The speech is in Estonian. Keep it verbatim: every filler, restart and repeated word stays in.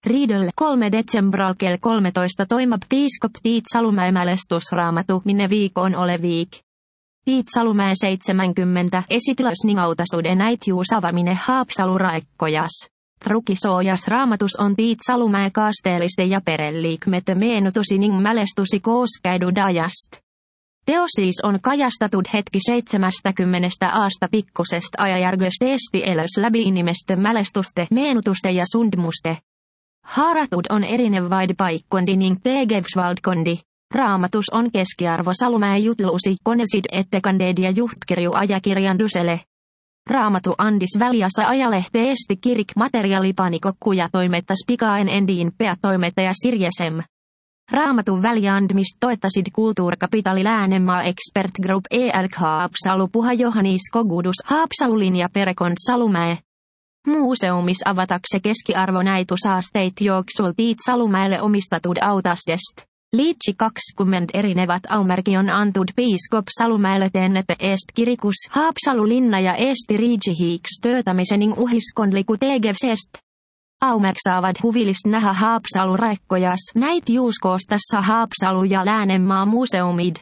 Riidel kolme detsembral kell kolmetoista toimub piiskop Tiit Salumäe mälestusraamatu minne viikon ole viik. Tiit Salumäe seitsemänkymmentä esitilösning autasuden äitjuus avamine Haapsalu raekkojas. Trukisoojas raamatus on Tiit Salumäe kaasteelliste ja pereliikmete meenutusining mälestusi kooskäidu dajast. Teosiis on kajastatud hetki seitsemästäkymmenestä aasta pikkusest ajajärgöst esti elös läbi inimeste mälestuste, meenutuste ja sundmuste. Haaratud on erinevaid paikkondi ning tegevsvaldkondi. Raamatus on keskiarvo Salumäe jutlusi konesid ettekandeed ja juhtkirju ajakirjandusele. Raamatu andis väliassa ajalehte esti kirik materiaalipanikokku ja toimittas pikaen endiin peatoimittaja Sirjesem. Raamatun väliandmist toettasid Kulttuurkapitali Läänemaa Expert Group E L K Haapsalu Puha Johannis Kogudus Haapsalulin ja Perekond Salumäe. Museumis avatakse keskiarvo näitu saasteit jooksul Tiit Salumäelle omistatud autastest. Liitsi kakskümmend erinevat aumerkion antud piiskop Salumäelle teennete est kirikus Haapsalu linna ja esti riitsihiiks töötamisening uhiskonliku tegevsest. Aumerk saavat huvilist nähdä Haapsalu raekkojas näit juuskoostassa Haapsalu ja Läänemaa museumid.